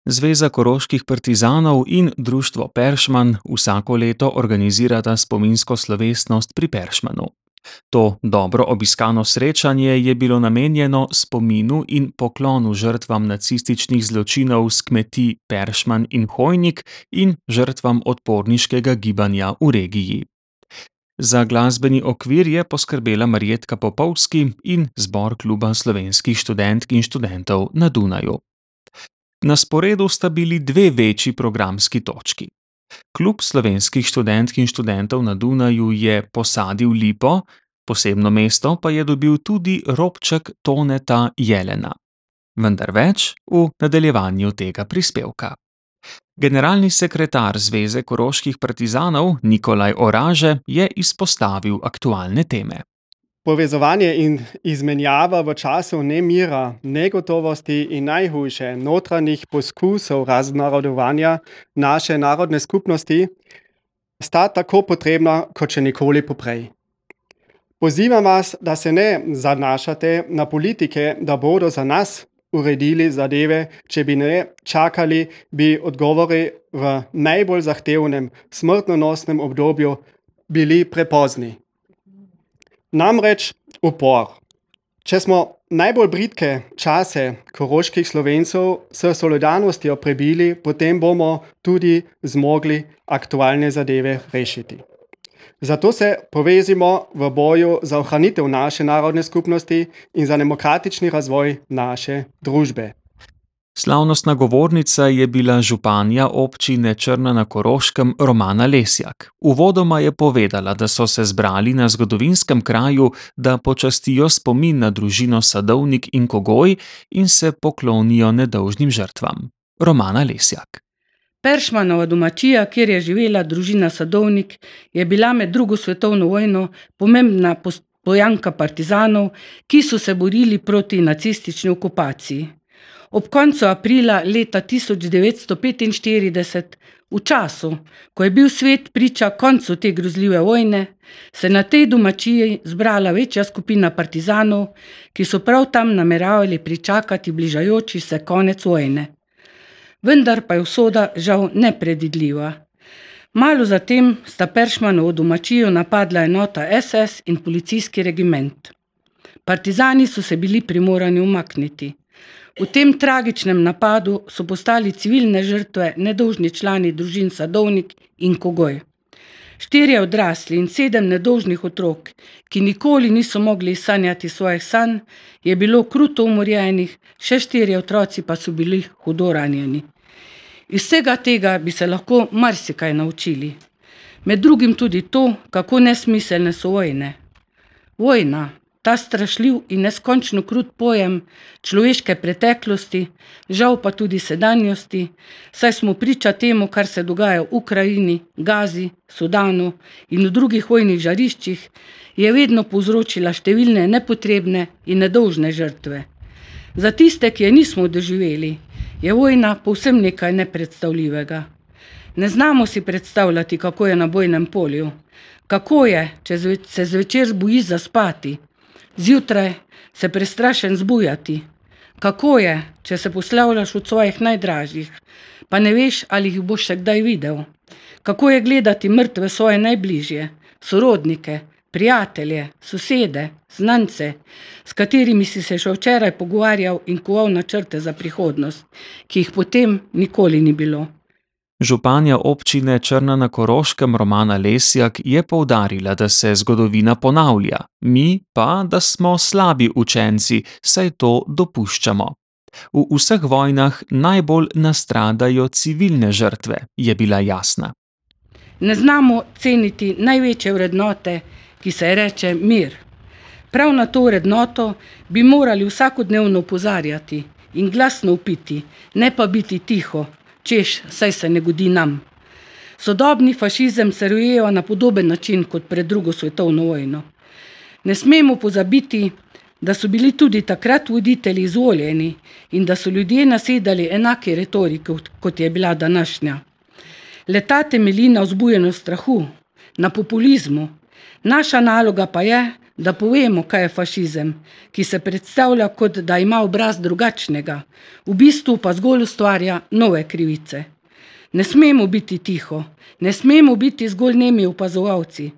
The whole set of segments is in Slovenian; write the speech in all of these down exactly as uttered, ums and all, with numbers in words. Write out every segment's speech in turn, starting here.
Zveza koroških partizanov in društvo Peršman vsako leto organizirata spominsko slovesnost pri Peršmanu. To dobro obiskano srečanje je bilo namenjeno spominu in poklonu žrtvam nacističnih zločinov s kmetij Peršman in Hojnik in žrtvam odporniškega gibanja v regiji. Za glasbeni okvir je poskrbela Marjetka Popovski in zbor Kluba slovenskih študentk in študentov na Dunaju. Na sporedu sta bili dve večji programski točki. Klub slovenskih študentk in študentov na Dunaju je posadil lipo, posebno mesto pa je dobil tudi robček Toneta Jelena. Vendar več v nadaljevanju tega prispevka. Generalni sekretar Zveze koroških partizanov Nikolaj Oraže je izpostavil aktualne teme. Povezovanje in izmenjava v času nemira, negotovosti in najhujše notranjih poskusov raznarodovanja naše narodne skupnosti sta tako potrebna kot še nikoli poprej. Pozivam vas, da se ne zanašate na politike, da bodo za nas uredili zadeve, če bi ne čakali, bi odgovori v najbolj zahtevnem smrtonosnem obdobju bili prepozni. Namreč upor. Če smo najbolj bridke čase koroških Slovencev s solidarnostjo prebili, potem bomo tudi zmogli aktualne zadeve rešiti. Zato se povezimo v boju za ohranitev naše narodne skupnosti in za demokratični razvoj naše družbe. Slavnostna govornica je bila županja občine Črna na Koroškem Romana Lesjak. Uvodoma je povedala, da so se zbrali na zgodovinskem kraju, da počastijo spomin na družino Sadovnik in Kogoj in se poklonijo nedolžnim žrtvam. Romana Lesjak. Peršmanova domačija, kjer je živela družina Sadovnik, je bila med drugo svetovno vojno pomembna pojanka partizanov, ki so se borili proti nacistični okupaciji. Ob koncu aprila leta tisoč devetsto petinštirideset, v času, ko je bil svet priča koncu te grozljive vojne, se na tej domačiji zbrala večja skupina partizanov, ki so prav tam nameravali pričakati bližajoči se konec vojne. Vendar pa je usoda žal nepredvidljiva. Malo zatem sta Peršmanovo domačijo napadla enota es es in policijski regiment. Partizani so se bili primorani umakniti. V tem tragičnem napadu so postali civilne žrtve nedolžni člani družin Sadovnik in Kogoj. Štirje odrasli in sedem nedolžnih otrok, ki nikoli niso mogli sanjati svojih sanj, je bilo kruto umorjenih, še štirje otroci pa so bili hudo ranjeni. Iz vsega tega bi se lahko marsikaj naučili. Med drugim tudi to, kako nesmiselne so vojne. Vojna, ta strašljiv in neskončno krut pojem človeške preteklosti, žal pa tudi sedanjosti, saj smo priča temu, kar se dogaja v Ukrajini, Gazi, Sudanu in v drugih vojnih žariščih, je vedno povzročila številne nepotrebne in nedolžne žrtve. Za tiste, ki je nismo doživeli, je vojna povsem nekaj nepredstavljivega. Ne znamo si predstavljati, kako je na bojnem polju, kako je, če se zvečer zbojiš zaspati, zjutraj se prestrašen zbujati, kako je, če se poslavljaš od svojih najdražjih, pa ne veš, ali jih boš še kdaj videl, kako je gledati mrtve svoje najbližje, sorodnike, prijatelje, sosede, znance, s katerimi si se še včeraj pogovarjal in koval načrte za prihodnost, ki jih potem nikoli ni bilo. Županja občine Črna na Koroškem Romana Lesjak je poudarila, da se zgodovina ponavlja, mi pa, da smo slabi učenci, saj to dopuščamo. V vseh vojnah najbolj nastradajo civilne žrtve, je bila jasna. Ne znamo ceniti največje vrednote, ki se reče mir. Prav na to vrednoto bi morali vsakodnevno opozarjati in glasno vpiti, ne pa biti tiho, češ, saj se ne godi nam. Sodobni fašizem se rojeva na podoben način kot pred drugo svetovno vojno. Ne smemo pozabiti, da so bili tudi takrat voditelji izvoljeni in da so ljudje nasedali enake retorike, kot je bila današnja. Leta temelji na vzbujanju strahu, na populizmu. Naša naloga pa je, da povemo, kaj je fašizem, ki se predstavlja kot da ima obraz drugačnega, v bistvu pa zgolj ustvarja nove krivice. Ne smemo biti tiho, ne smemo biti zgolj nemi opazovalci,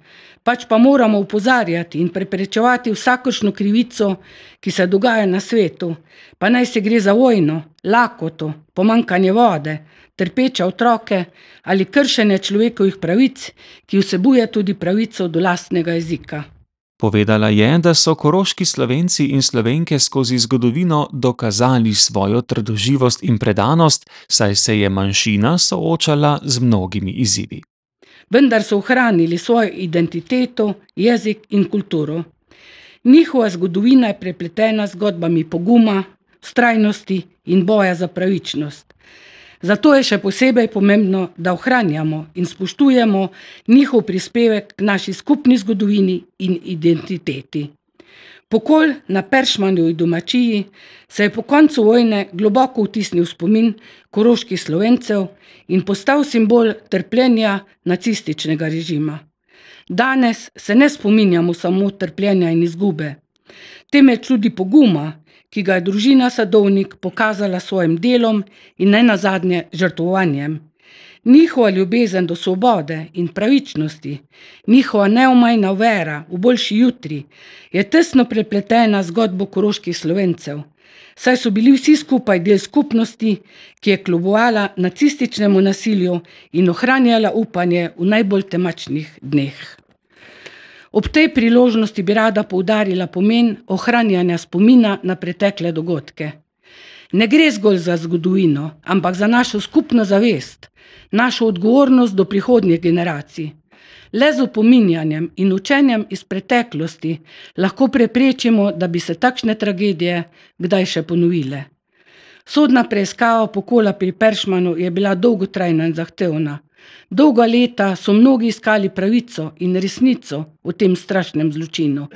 pač pa moramo opozarjati in preprečevati vsakršno krivico, ki se dogaja na svetu, pa naj se gre za vojno, lakoto, pomanjkanje vode, trpeče otroke ali kršenje človekovih pravic, ki vsebuje tudi pravico do lastnega jezika. Povedala je, da so koroški Slovenci in Slovenke skozi zgodovino dokazali svojo trdoživost in predanost, saj se je manjšina soočala z mnogimi izzivi. Vendar so ohranili svojo identiteto, jezik in kulturo. Njihova zgodovina je prepletena z zgodbami poguma, vztrajnosti in boja za pravičnost. Zato je še posebej pomembno, da ohranjamo in spoštujemo njihov prispevek k naši skupni zgodovini in identiteti. Pokol na Peršmanovi domačiji se je po koncu vojne globoko vtisnil v spomin koroških Slovencev in postal simbol trpljenja nacističnega režima. Danes se ne spominjamo samo trpljenja in izgube, temveč tudi poguma, ki ga je družina Sadovnik pokazala s svojim delom in nenazadnje žrtvovanjem. Njihova ljubezen do svobode in pravičnosti, njihova neomajna vera v boljši jutri je tesno prepletena z zgodbo koroških Slovencev, saj so bili vsi skupaj del skupnosti, ki je kljubovala nacističnemu nasilju in ohranjala upanje v najbolj temačnih dneh. Ob tej priložnosti bi rada poudarila pomen ohranjanja spomina na pretekle dogodke. Ne gre zgolj za zgodovino, ampak za našo skupno zavest, našo odgovornost do prihodnjih generacij. Le z opominjanjem in učenjem iz preteklosti lahko preprečimo, da bi se takšne tragedije kdaj še ponovile. Sodna preiskava pokola pri Peršmanu je bila dolgotrajna in zahtevna. Dolga leta so mnogi iskali pravico in resnico v tem strašnem zločinu.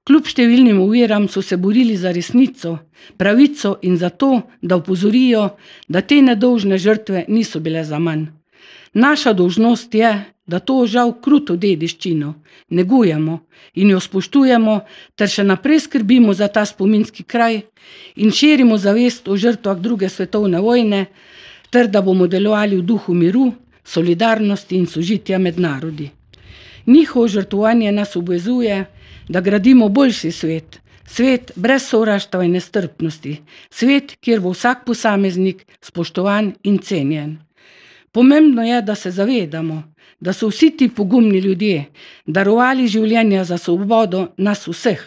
Kljub številnim oviram so se borili za resnico, pravico in za to, da opozorijo, da te nedolžne žrtve niso bile zaman. Naša dolžnost je, da to žal kruto dediščino negujemo in jo spoštujemo ter še naprej skrbimo za ta spominski kraj in širimo zavest o žrtvah druge svetovne vojne ter da bomo delovali v duhu miru, solidarnosti in sožitja med narodi. Njihovo žrtvovanje nas obvezuje, da gradimo boljši svet, svet brez sovraštva in nestrpnosti, svet, kjer bo vsak posameznik spoštovan in cenjen. Pomembno je, da se zavedamo, da so vsi ti pogumni ljudje darovali življenja za svobodo nas vseh.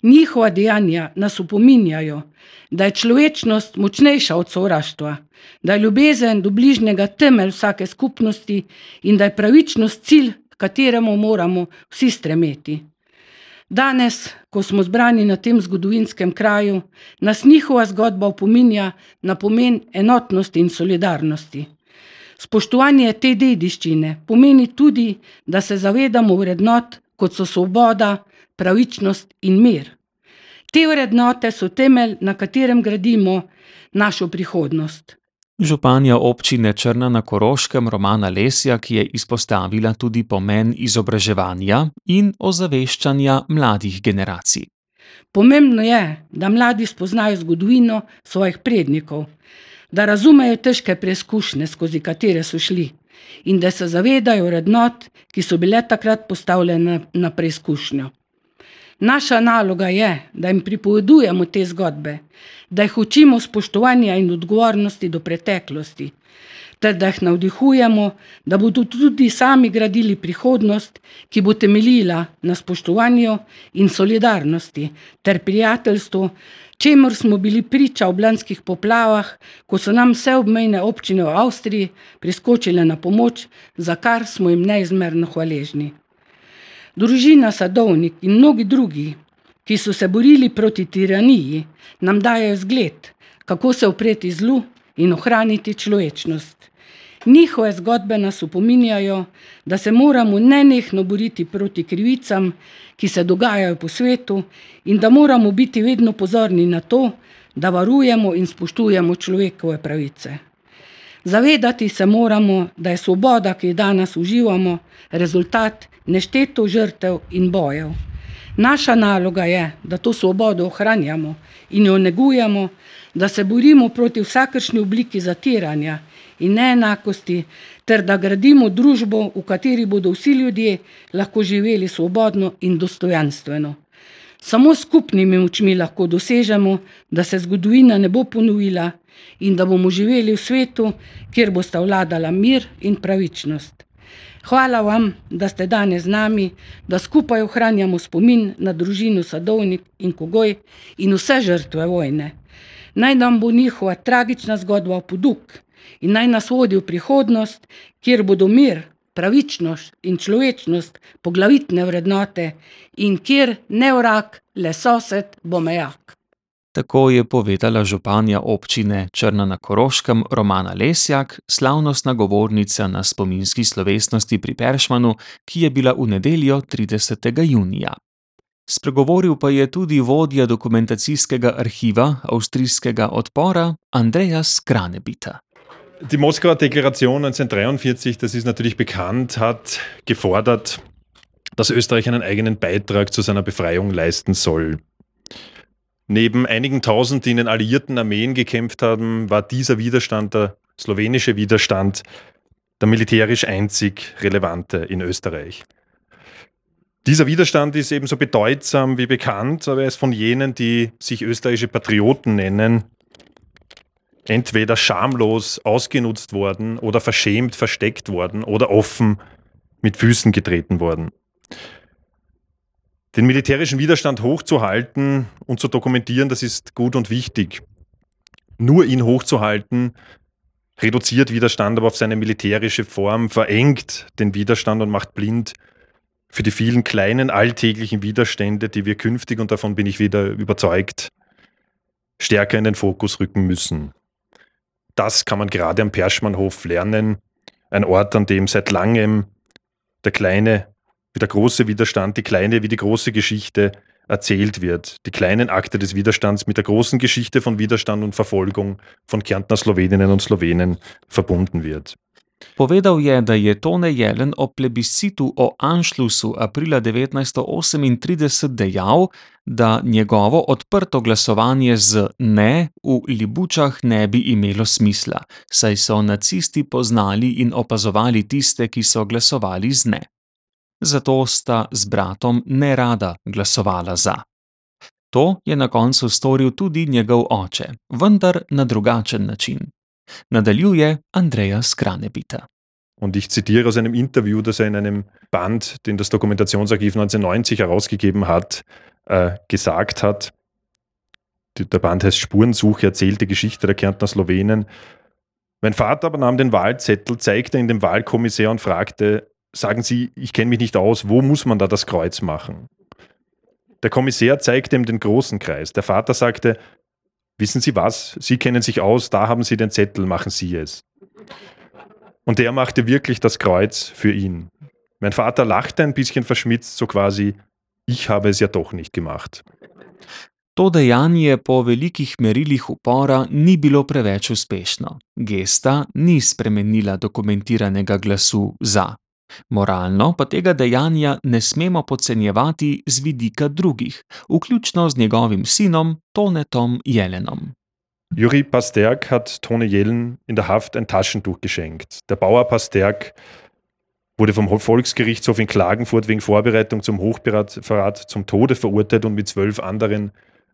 Njihova dejanja nas opominjajo, da je človečnost močnejša od sovraštva, da je ljubezen do bližnjega temelj vsake skupnosti in da je pravičnost cilj, k kateremu moramo vsi stremeti. Danes, ko smo zbrani na tem zgodovinskem kraju, nas njihova zgodba opominja na pomen enotnosti in solidarnosti. Spoštovanje te dediščine pomeni tudi, da se zavedamo vrednot, kot so svoboda, pravičnost in mir. Te vrednote so temelj, na katerem gradimo našo prihodnost. Županja občine Črna na Koroškem Romana Lesjak je izpostavila tudi pomen izobraževanja in ozaveščanja mladih generacij. Pomembno je, da mladi spoznajo zgodovino svojih prednikov, da razumejo težke preizkušnje, skozi katere so šli, in da se zavedajo vrednot, ki so bile takrat postavljene na preizkušnjo. Naša naloga je, da jim pripovedujemo te zgodbe, da jih učimo spoštovanja in odgovornosti do preteklosti, ter da jih navdihujemo, da bodo tudi sami gradili prihodnost, ki bo temeljila na spoštovanju in solidarnosti ter prijateljstvu, čemur smo bili priča ob lanskih poplavah, ko so nam vse obmejne občine v Avstriji priskočile na pomoč, za kar smo jim neizmerno hvaležni. Družina Sadovnik in mnogi drugi, ki so se borili proti tiraniji, nam dajejo zgled, kako se upreti zlu in ohraniti človečnost. Njihove zgodbe nas opominjajo, da se moramo nenehno boriti proti krivicam, ki se dogajajo po svetu, in da moramo biti vedno pozorni na to, da varujemo in spoštujemo človekove pravice. Zavedati se moramo, da je svoboda, ki jo danes uživamo, rezultat nešteto žrtev in bojev. Naša naloga je, da to svobodo ohranjamo in jo negujemo, da se borimo proti vsakršni obliki zatiranja in neenakosti, ter da gradimo družbo, v kateri bodo vsi ljudje lahko živeli svobodno in dostojanstveno. Samo s skupnimi močmi lahko dosežemo, da se zgodovina ne bo ponovila in da bomo živeli v svetu, kjer bosta vladala mir in pravičnost. Hvala vam, da ste danes z nami, da skupaj ohranjamo spomin na družino Sadovnik in Kogoj in vse žrtve vojne. Naj nam bo njihova tragična zgodba poduk in naj nas vodi v prihodnost, kjer bodo mir, pravičnost in človečnost poglavitne vrednote in kjer ne vrag, le sosed bo mejak. Tako je povedala županja občine Črna na Koroškem Romana Lesjak, slavnostna govornica na spominski slovesnosti pri Peršmanu, ki je bila v nedeljo tridesetega junija. Spregovoril pa je tudi vodja dokumentacijskega arhiva avstrijskega odpora Andreas Kranebita. Die Moskauer Deklaration neunzehnhundertdreiundvierzig, das ist natürlich bekannt, hat gefordert, dass Österreich einen eigenen Beitrag zu seiner Befreiung leisten soll. Neben einigen Tausend, die in den alliierten Armeen gekämpft haben, war dieser Widerstand, der slowenische Widerstand, der militärisch einzig relevante in Österreich. Dieser Widerstand ist ebenso bedeutsam wie bekannt, aber er ist von jenen, die sich österreichische Patrioten nennen, entweder schamlos ausgenutzt worden oder verschämt versteckt worden oder offen mit Füßen getreten worden. Den militärischen Widerstand hochzuhalten und zu dokumentieren, das ist gut und wichtig. Nur ihn hochzuhalten, reduziert Widerstand aber auf seine militärische Form, verengt den Widerstand und macht blind für die vielen kleinen alltäglichen Widerstände, die wir künftig, und davon bin ich wieder überzeugt, stärker in den Fokus rücken müssen. Das kann man gerade am Perschmannhof lernen, ein Ort, an dem seit langem der kleine wie der große Widerstand, die kleine wie die große Geschichte erzählt wird. Die kleinen Akte des Widerstands mit der großen Geschichte von Widerstand und Verfolgung von Kärntner Sloweninnen und Slowenen verbunden wird. Povedal je, da je Tone Jelen o plebiscitu o Anšlusu aprila devetnajststo osemintrideset dejal, da njegovo odprto glasovanje z ne v Libučah ne bi imelo smisla, saj so nacisti poznali in opazovali tiste, ki so glasovali z ne. Zato sta z bratom nerada glasovala za. To je na koncu storil tudi njegov oče, vendar na drugačen način. Nadaljuje Andreas Kranebita. Und ich zitiere aus einem Interview, das er in einem Band, den das Dokumentationsarchiv neunzehnhundertneunzig herausgegeben hat, äh, gesagt hat. Der Band heißt Spurensuche, erzählte Geschichte der Kärntner Slowenen. Mein Vater aber nahm den Wahlzettel, zeigte ihn dem Wahlkommissär und fragte: Sagen Sie, ich kenne mich nicht aus, wo muss man da das Kreuz machen? Der Kommissär zeigte ihm den großen Kreis. Der Vater sagte: Wissen Sie was, Sie kennen sich aus, da haben Sie den Zettel, machen Sie es. Und der machte wirklich das Kreuz für ihn. Mein Vater lachte ein bisschen verschmitzt, so quasi: Ich habe es ja doch nicht gemacht. To dejanje po velikih merilih upora ni bilo preveč uspešno. Gesta ni spremenila dokumentiranega glasu za. Moralno pa tega dejanja ne smemo podcenjevati z vidika drugih, vključno z njegovim sinom Tonetom Jelenom. Juri Pasterk hat Tone Jelen in der Haft ein Taschentuch geschenkt. Der Bauer Pasterk wurde vom Volksgerichtshof in Klagenfurt wegen Vorbereitung zum Hochverrat zum Tode verurteilt und mit zwölf anderen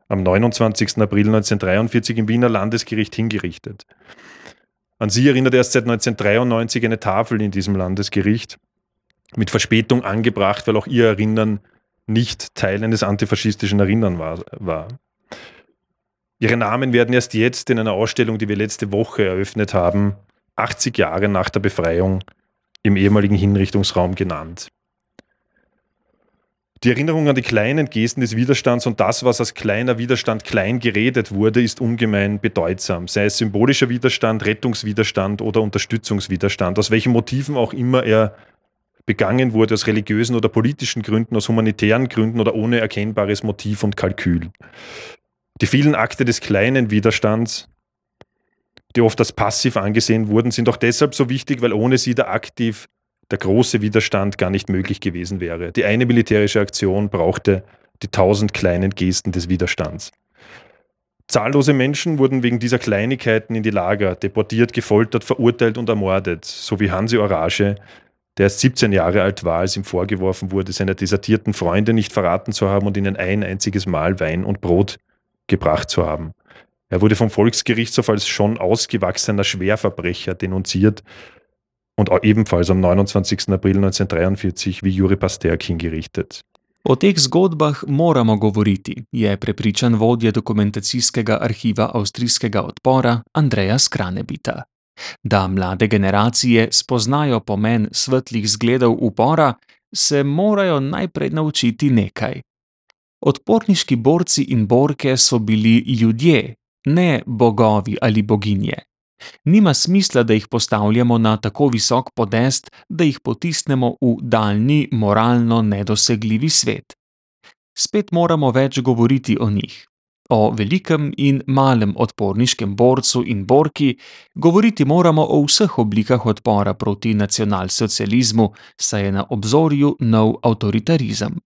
am neunundzwanzigsten April neunzehnhundertdreiundvierzig im Wiener Landesgericht hingerichtet. An sie erinnert erst seit neunzehnhundertdreiundneunzig eine Tafel in diesem Landesgericht, mit Verspätung angebracht, weil auch ihr Erinnern nicht Teil eines antifaschistischen Erinnern war. Ihre Namen werden erst jetzt in einer Ausstellung, die wir letzte Woche eröffnet haben, achtzig Jahre nach der Befreiung im ehemaligen Hinrichtungsraum genannt. Die Erinnerung an die kleinen Gesten des Widerstands und das, was als kleiner Widerstand klein geredet wurde, ist ungemein bedeutsam. Sei es symbolischer Widerstand, Rettungswiderstand oder Unterstützungswiderstand, aus welchen Motiven auch immer er begangen wurde, aus religiösen oder politischen Gründen, aus humanitären Gründen oder ohne erkennbares Motiv und Kalkül. Die vielen Akte des kleinen Widerstands, die oft als passiv angesehen wurden, sind auch deshalb so wichtig, weil ohne sie der aktiv der große Widerstand gar nicht möglich gewesen wäre. Die eine militärische Aktion brauchte die tausend kleinen Gesten des Widerstands. Zahllose Menschen wurden wegen dieser Kleinigkeiten in die Lager deportiert, gefoltert, verurteilt und ermordet, so wie Hansi Orage, der erst siebzehn Jahre alt war, als ihm vorgeworfen wurde, seine desertierten Freunde nicht verraten zu haben und ihnen ein einziges Mal Wein und Brot gebracht zu haben. Er wurde vom Volksgerichtshof als schon ausgewachsener Schwerverbrecher denunziert und auch ebenfalls am neunundzwanzigsten April neunzehnhundertdreiundvierzig wie Juri Pasterk hingerichtet. O teh zgodbah moramo govoriti, je prepričan vodja dokumentacijskega arhiva avstrijskega odpora Andreas Kranebita. Da mlade generacije spoznajo pomen svetlih zgledov upora, se morajo najprej naučiti nekaj. Odporniški borci in borke so bili ljudje, ne bogovi ali boginje. Nima smisla, da jih postavljamo na tako visok podest, da jih potisnemo v daljni, moralno nedosegljivi svet. Spet moramo več govoriti o njih. O velikem in malem odporniškem borcu in borki, govoriti moramo o vseh oblikah odpora proti nacionalsocializmu, saj je na obzorju nov avtoritarizem.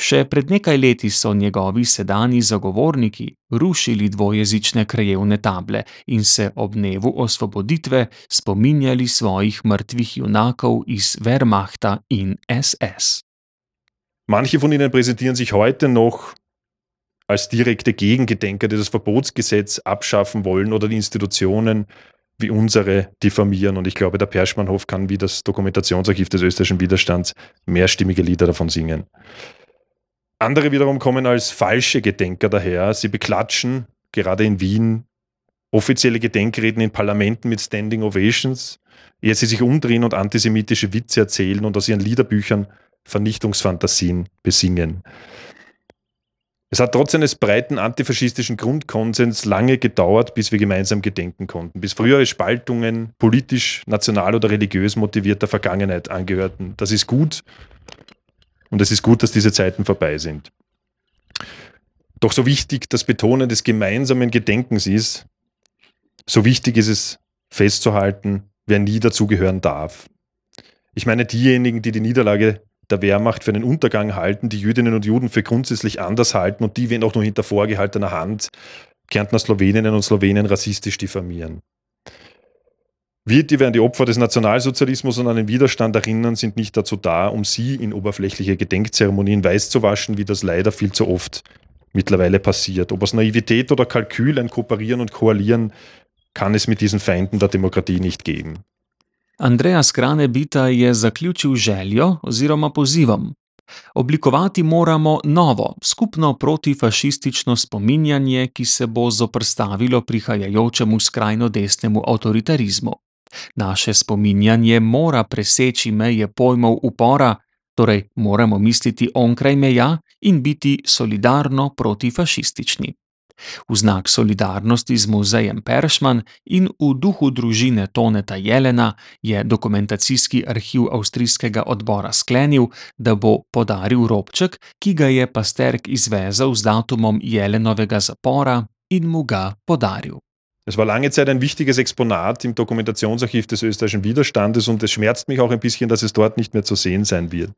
Še pred nekaj leti so njegovi sedanji zagovorniki rušili dvojezične krajevne table in se ob dnevu osvoboditve spominjali svojih mrtvih junakov iz Wehrmachta in S S. Manche von ihnen präsentieren sich heute noch als direkte Gegengedenker, die das Verbotsgesetz abschaffen wollen oder die Institutionen wie unsere diffamieren. Und ich glaube, der Perschmannhof kann wie das Dokumentationsarchiv des österreichischen Widerstands mehrstimmige Lieder davon singen. Andere wiederum kommen als falsche Gedenker daher. Sie beklatschen, gerade in Wien, offizielle Gedenkreden in Parlamenten mit Standing Ovations, ehe sie sich umdrehen und antisemitische Witze erzählen und aus ihren Liederbüchern Vernichtungsfantasien besingen. Es hat trotz eines breiten antifaschistischen Grundkonsens lange gedauert, bis wir gemeinsam gedenken konnten, bis frühere Spaltungen politisch, national oder religiös motivierter Vergangenheit angehörten. Das ist gut und es ist gut, dass diese Zeiten vorbei sind. Doch so wichtig das Betonen des gemeinsamen Gedenkens ist, so wichtig ist es festzuhalten, wer nie dazugehören darf. Ich meine diejenigen, die die Niederlage der Wehrmacht für einen Untergang halten, die Jüdinnen und Juden für grundsätzlich anders halten und die, wenn auch nur hinter vorgehaltener Hand, Kärntner Sloweninnen und Slowenen rassistisch diffamieren. Wir, die wir an die Opfer des Nationalsozialismus und an den Widerstand erinnern, sind nicht dazu da, um sie in oberflächliche Gedenkzeremonien weiß zu waschen, wie das leider viel zu oft mittlerweile passiert. Ob aus Naivität oder Kalkül ein Kooperieren und Koalieren kann es mit diesen Feinden der Demokratie nicht geben. Andreas Kranebita je zaključil željo oziroma pozivom. Oblikovati moramo novo, skupno protifašistično spominjanje, ki se bo zoprstavilo prihajajočemu skrajno desnemu avtoritarizmu. Naše spominjanje mora preseči meje pojmov upora, torej moramo misliti onkraj meja in biti solidarno protifašistični. V znak solidarnosti z muzejem Peršman in v duhu družine Toneta Jelena je dokumentacijski arhiv avstrijskega odbora sklenil, da bo podaril robček, ki ga je Pasterk izvezel z datumom Jelenovega zapora in mu ga podaril. Es war lange Zeit ein wichtiges Exponat im Dokumentationsarchiv des österreichischen Widerstandes und es schmerzt mich auch ein bisschen, dass es dort nicht mehr zu sehen sein wird.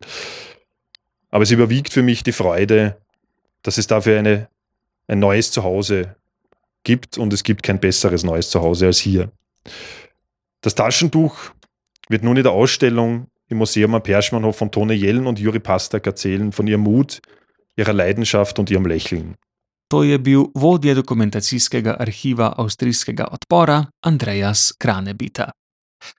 Aber es überwiegt für mich die Freude, dass es dafür eine ein neues Zuhause gibt und es gibt kein besseres neues Zuhause als hier. Das Taschentuch wird nun in der Ausstellung im Museum am Perschmannhof von Tone Jelen und Juri Pasterk erzählen, von ihrem Mut, ihrer Leidenschaft und ihrem Lächeln. To je bil vodja dokumentacijskega arhiva avstrijskega odpora Andreas Kranebita.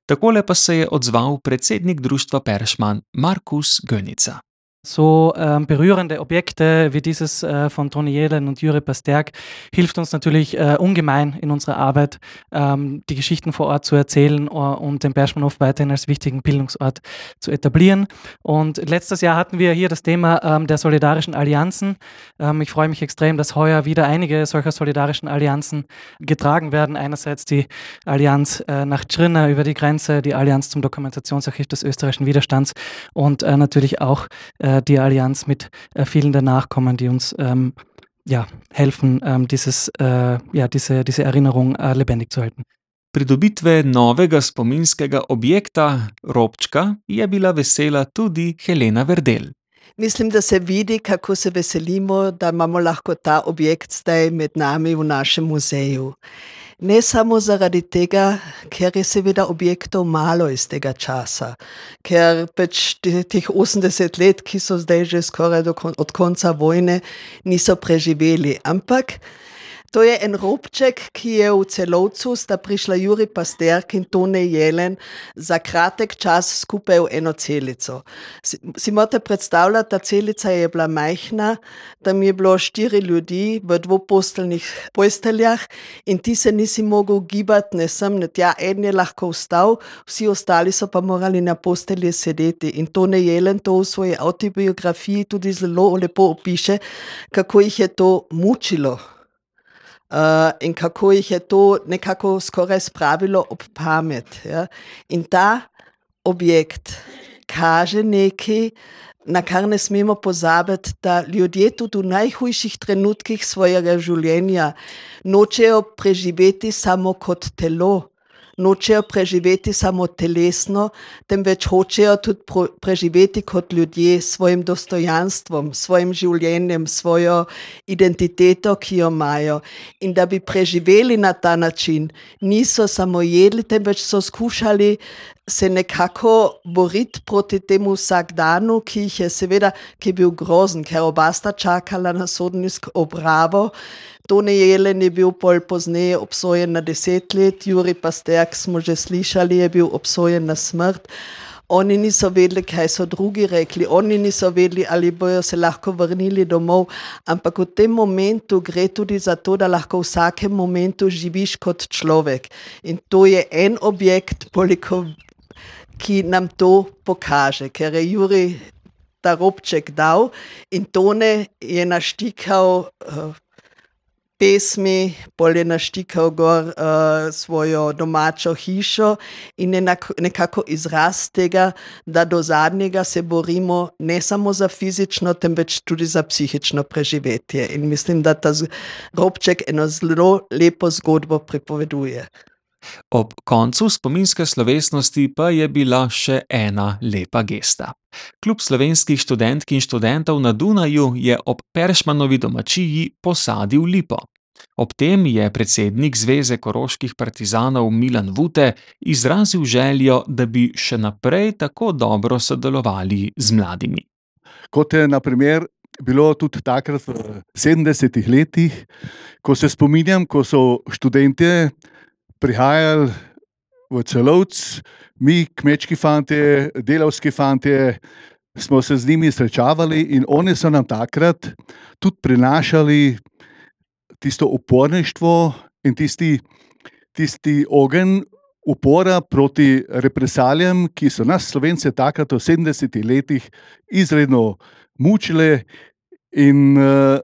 Takole pa se je odzval predsednik društva Peršman Markus Gönica. So ähm, berührende Objekte wie dieses äh, von Tone Jelen und Juri Pasterk hilft uns natürlich äh, ungemein in unserer Arbeit, ähm, die Geschichten vor Ort zu erzählen uh, und den Perschmannhof weiterhin als wichtigen Bildungsort zu etablieren. Und letztes Jahr hatten wir hier das Thema ähm, der solidarischen Allianzen. Ähm, ich freue mich extrem, dass heuer wieder einige solcher solidarischen Allianzen getragen werden. Einerseits die Allianz äh, nach Trnava über die Grenze, die Allianz zum Dokumentationsarchiv des österreichischen Widerstands und äh, natürlich auch äh, die Allianz mit äh, vielen der Nachkommen, die uns ähm, ja, helfen, ähm, dieses, äh, ja, diese, diese Erinnerung äh, lebendig zu halten. Pridobitve novega spominskega objekta, robčka, je bila vesela tudi Helena Verdel. Mislim, da se vidi, kako se veselimo, da imamo lahko ta objekt zdaj med nami v našem muzeju. Ne samo zaradi tega, ker je seveda objektov malo iz tega časa, ker pač teh osemdeset let, ki so zdaj že skoraj do kon- od konca vojne, niso preživeli. Ampak to je en robček, ki je v Celovcu, sta prišla Jurij Pasterk in Tone Jelen za kratek čas skupaj v eno celico. Si, si morate predstavljati, ta celica je bila majhna, tam je bilo štiri ljudi v dvoposteljnih posteljah in ti se nisi mogel gibati, ne sem, ne tja, en je lahko vstal, vsi ostali so pa morali na postelji sedeti. In Tone Jelen to v svoji avtobiografiji tudi zelo lepo opiše, kako jih je to mučilo. Uh, in kako jih je to nekako skoraj spravilo ob pamet. Ja? In ta objekt kaže nekaj, na kar ne smemo pozabiti, da ljudje tudi v najhujših trenutkih svojega življenja nočejo preživeti samo kot telo, nočejo preživeti samo telesno, temveč hočejo tudi pro, preživeti kot ljudje s svojim dostojanstvom, svojim življenjem, svojo identiteto, ki jo imajo. In da bi preživeli na ta način, niso samo jedli, temveč so skušali se nekako boriti proti temu vsakdanu, ki jih je seveda, ki je bil grozen, ker oba sta čakala na sodniško obravo. Tone Jelen je bil pol pozneje obsojen na deset let, Jurij Pasterk smo že slišali, je bil obsojen na smrt. Oni niso vedeli, kaj so drugi rekli, oni niso vedeli, ali bojo se lahko vrnili domov, ampak v tem momentu gre tudi za to, da lahko v vsakem momentu živiš kot človek. In to je en objekt, koliko, ki nam to pokaže, ker je Jurij ta robček dal in Tone je naštikal uh, pesmi, pol je naštikal gor uh, svojo domačo hišo in je nekako izraz tega, da do zadnjega se borimo ne samo za fizično, temveč tudi za psihično preživetje. In mislim, da ta robček eno zelo lepo zgodbo pripoveduje. Ob koncu spominske slovesnosti pa je bila še ena lepa gesta. Klub slovenskih študentk in študentov na Dunaju je ob Peršmanovi domačiji posadil lipo. Ob tem je predsednik Zveze koroških partizanov Milan Vute izrazil željo, da bi še naprej tako dobro sodelovali z mladimi. Kot je na primer bilo tudi takrat v sedemdesetih letih, ko se spominjam, ko so študentje prihajali v Celovc, mi, kmečki fantje, delavski fantje, smo se z njimi srečavali in oni so nam takrat tudi prinašali tisto uporništvo in tisti, tisti ogenj upora proti represalijam, ki so nas Slovence takrat v sedemdesetih letih izredno mučile in uh,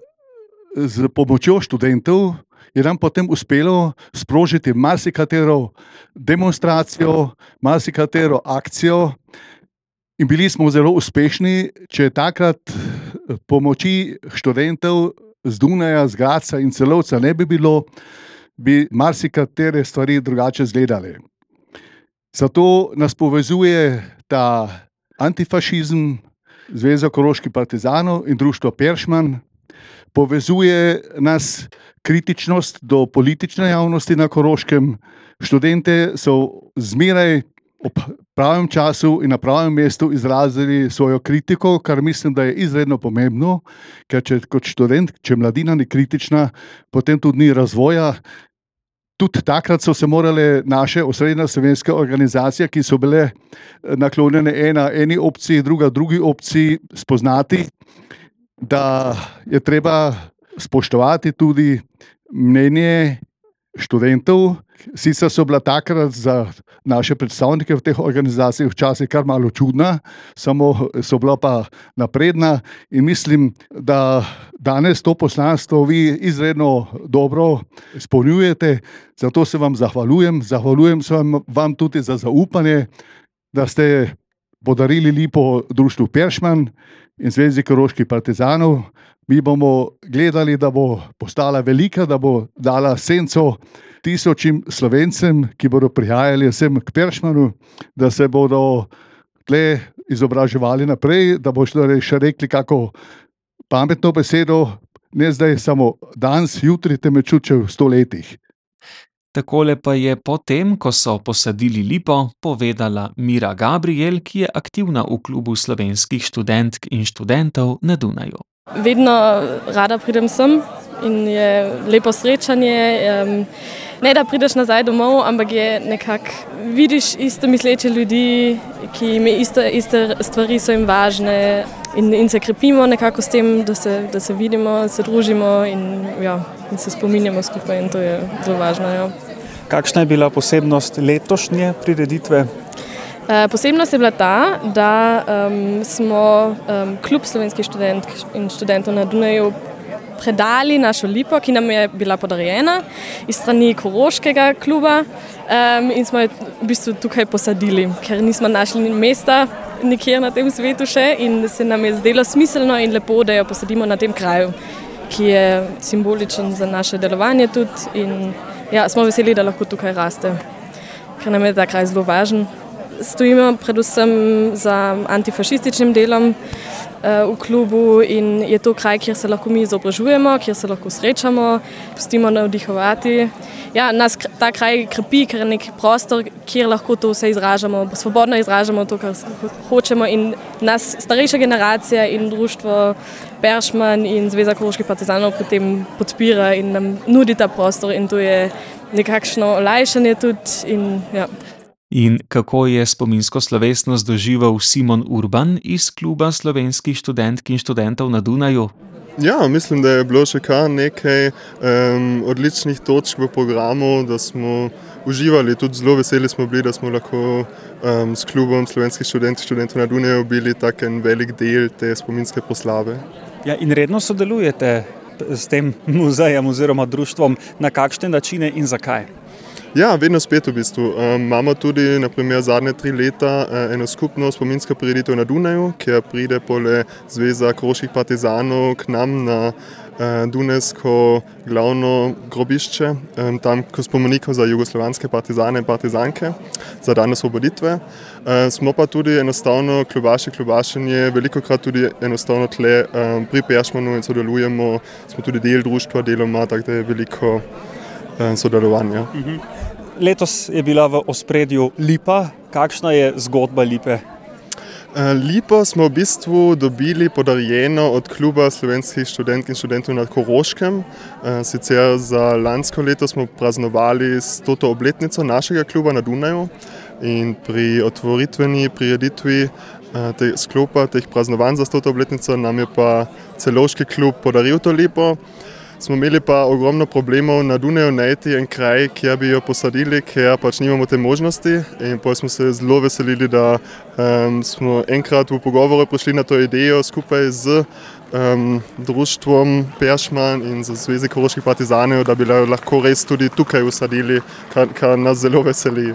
z pomočjo študentov je nam potem uspelo sprožiti marsikatero demonstracijo, marsikatero akcijo in bili smo zelo uspešni, če takrat pomoči študentov z Dunaja, z Gradca in Celovca ne bi bilo, bi marsikatere stvari drugače izgledale. Zato nas povezuje ta antifašizem, Zveza koroških partizanov in društvo Peršman, povezuje nas kritičnost do politične javnosti na Koroškem. Študente so zmeraj ob pravem času in na pravem mestu izrazili svojo kritiko, kar mislim, da je izredno pomembno, ker če kot študent, če mladina ni kritična, potem tudi ni razvoja. Tudi takrat so se morale naše osrednje slovenske organizacije, ki so bile naklonjene ena eni opciji, druga drugi opciji, spoznati, da je treba spoštovati tudi mnenje študentov. Sicer so bila takrat za naše predstavnike v teh organizacijah včasih kar malo čudna, samo so bila pa napredna in mislim, da danes to poslanstvo vi izredno dobro izpolnjujete, zato se vam zahvaljujem. Zahvaljujem se vam, vam tudi za zaupanje, da ste podarili lipo društvu Peršman in Zvezi koroških partizanov. Mi bomo gledali, da bo postala velika, da bo dala senco tisočim Slovencem, ki bodo prihajali sem k Peršmanu, da se bodo tle izobraževali naprej, da boš torej še rekli kako pametno besedo, ne zdaj samo danes, jutri, temveč tudi v sto letih. Takole pa je potem, ko so posadili lipo, povedala Mira Gabriel, ki je aktivna v klubu slovenskih študentk in študentov na Dunaju. Vedno rada pridem sem in je lepo srečanje. Um, ne da prideš nazaj domov, ampak je nekako, vidiš isto misleče ljudi, ki jim iste, iste stvari so jim važne in, in se krepimo nekako s tem, da se, da se vidimo, se družimo in, ja, in se spominjamo skupaj in to je zelo važno. Ja. Kakšna je bila posebnost letošnje prireditve? Posebnost je bila ta, da um, smo um, klub slovenskih študentk in študentov na Dunaju predali našo lipo, ki nam je bila podarjena iz strani Koroškega kluba um, in smo jo v bistvu tukaj posadili, ker nismo našli mesta nikjer na tem svetu še in se nam je zdelo smiselno in lepo, da jo posadimo na tem kraju, ki je simboličen za naše delovanje tudi in ja, smo veseli, da lahko tukaj raste, ker nam je ta kraj zelo važen. Stojimo predvsem za antifašističnim delom uh, v klubu in je to kraj, kjer se lahko mi izobražujemo, kjer se lahko srečamo, pustimo navdihovati. Ja, nas ta kraj krepi, ker je nek prostor, kjer lahko to vse izražamo, svobodno izražamo to, kar hočemo in nas starejša generacija in društvo Peršman in Zveza koroških partizanov potem podpira in nam nudi ta prostor in to je nekakšno olajšanje tudi in ja. In kako je spominsko slovesnost doživel Simon Urban iz kluba slovenskih študentk in študentov na Dunaju? Ja, mislim, da je bilo še kar nekaj um, odličnih točk v programu, da smo uživali, tudi zelo veseli smo bili, da smo lahko um, s klubom slovenskih študentk in študentov na Dunaju bili tak en velik del te spominske proslave. Ja, in redno sodelujete s tem muzejem oziroma društvom, na kakšne načine in zakaj? Ja, vedno spet v bistvu. Um, imamo tudi naprimer zadnje tri leta uh, eno skupno spominsko prireditev na Dunaju, kjer pride pole Zveza koroških partizanov k nam na uh, Dunajsko glavno grobišče, um, tam ko spomenikov za jugoslovanske partizane in partizanke za dan osvoboditve. Uh, smo pa tudi enostavno klubaši, klubašenje, veliko krat tudi enostavno tle um, pri Peršmanu in sodelujemo, smo tudi del društva deloma, tako da je veliko um, sodelovanja. Mhm. Letos je bila v ospredju lipa. Kakšna je zgodba lipe? Lipo smo v bistvu dobili podarjeno od kluba slovenskih študentk in študentov na Koroškem. Sicer za lansko leto smo praznovali stoto obletnico našega kluba na Dunaju in pri otvoritveni prireditvi te sklopa teh praznovanj za stoto obletnico nam je pa Celovški klub podaril to lipo. Smo imeli pa ogromno problemov na Dunaju najti en kraj, kjer bi jo posadili, ker pač nimamo te možnosti in potem smo se zelo veselili, da um, smo enkrat v pogovoru prišli na to idejo skupaj z um, društvom Peršman in z Zvezi koroških partizanov, da bi lahko res tudi tukaj usadili, kar, kar nas zelo veseli.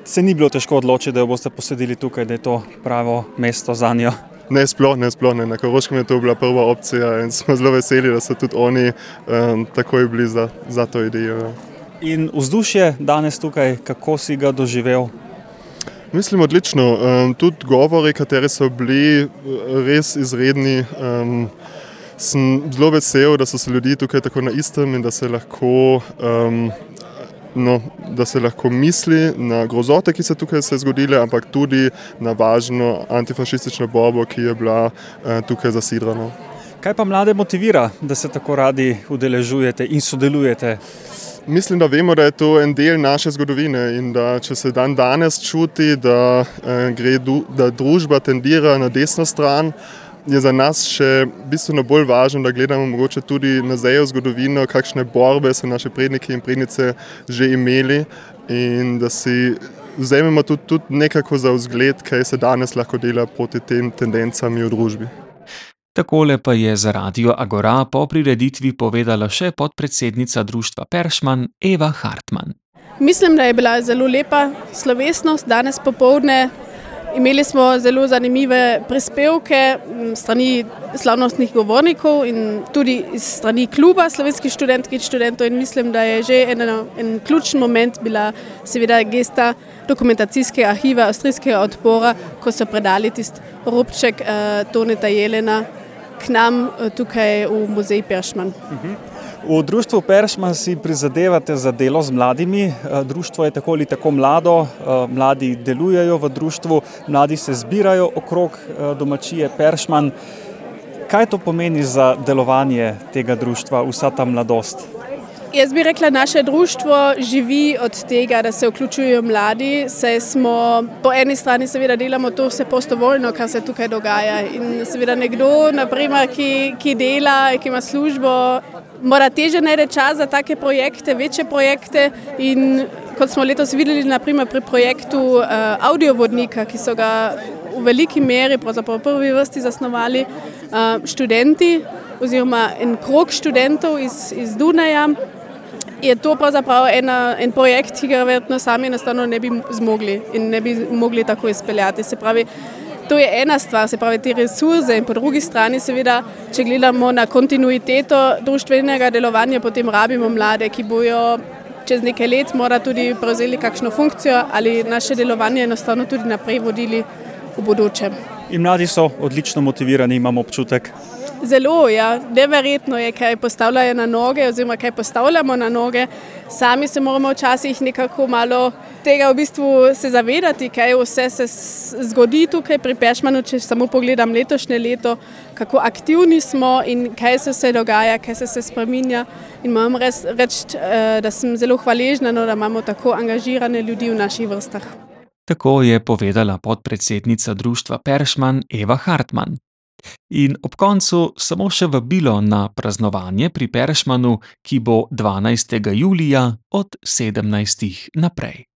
Se ni bilo težko odločiti, da jo boste posadili tukaj, da je to pravo mesto za njo? Ne, sploh ne, sploh ne. Na Koroškem je to bila prva opcija in smo zelo veseli, da so tudi oni um, takoj bili za, za to idejo. In vzdušje danes tukaj, kako si ga doživel? Mislim, odlično. Um, tudi govori, kateri so bili res izredni. Um, sem zelo vesel, da so se ljudi tukaj tako na istem in da se lahko... Um, No, da se lahko misli na grozote, ki so tukaj se zgodile, ampak tudi na važno antifašistično borbo, ki je bila eh, tukaj zasidrana. Kaj pa mlade motivira, da se tako radi udeležujete in sodelujete? Mislim, da vemo, da je to en del naše zgodovine in da če se dan danes čuti, da, eh, gre, da družba tendira na desno stran, je za nas še bistveno bolj važno, da gledamo mogoče tudi nazaj v zgodovino, kakšne borbe so naše predniki in prednice že imeli in da si vzamemo tudi, tudi nekako za vzgled, kaj se danes lahko dela proti tem tendencam v družbi. Takole pa je za Radio Agora po prireditvi povedala še podpredsednica društva Peršman Eva Hartman. Mislim, da je bila zelo lepa slovesnost danes popoldne. Imeli smo zelo zanimive prispevke m, strani slavnostnih govornikov in tudi iz strani kluba slovenskih študentk in študentov in mislim, da je že en, en ključen moment bila seveda gesta dokumentacijskega arhiva avstrijskega odpora, ko so predali tisti robček uh, Toneta Jelena k nam uh, tukaj v muzej Peršman. Uh-huh. V društvu Peršman si prizadevate za delo z mladimi. Društvo je tako ali tako mlado, mladi delujejo v društvu, mladi se zbirajo okrog domačije Peršman. Kaj to pomeni za delovanje tega društva, vsa ta mladost? Jaz bi rekla, naše društvo živi od tega, da se vključujejo mladi, saj smo po eni strani seveda delamo to vse prostovoljno, kar se tukaj dogaja. In seveda nekdo, naprimer, ki, ki dela, ki ima službo, mora teže najde čas za take projekte, večje projekte in kot smo letos videli naprimer pri projektu uh, audiovodnika, ki so ga v veliki meri, pravzaprav v prvi vrsti zasnovali uh, študenti oziroma en krog študentov iz, iz Dunaja, je to pravzaprav ena, en projekt, ki ga verjetno sami enostavno ne bi zmogli in ne bi mogli tako izpeljati. Se pravi, to je ena stvar, se pravi te resurse in po drugi strani seveda, če gledamo na kontinuiteto društvenega delovanja, potem rabimo mlade, ki bojo čez nekaj let mora tudi prevzeli kakšno funkcijo ali naše delovanje enostavno tudi naprej vodili v bodoče. In mladi so odlično motivirani, imam občutek. Zelo, ja. Neverjetno je, kaj postavljajo na noge oziroma kaj postavljamo na noge. Sami se moramo včasih nekako malo tega v bistvu se zavedati, kaj vse se zgodi tukaj pri Peršmanu, če samo pogledam letošnje leto, kako aktivni smo in kaj se vse dogaja, kaj se se spreminja. In moram reči, da sem zelo hvaležna, no, da imamo tako angažirane ljudi v naših vrstah. Tako je povedala podpredsednica društva Peršman Eva Hartman. In ob koncu samo še vabilo na praznovanje pri Peršmanu, ki bo dvanajstega julija od sedemnajstih naprej.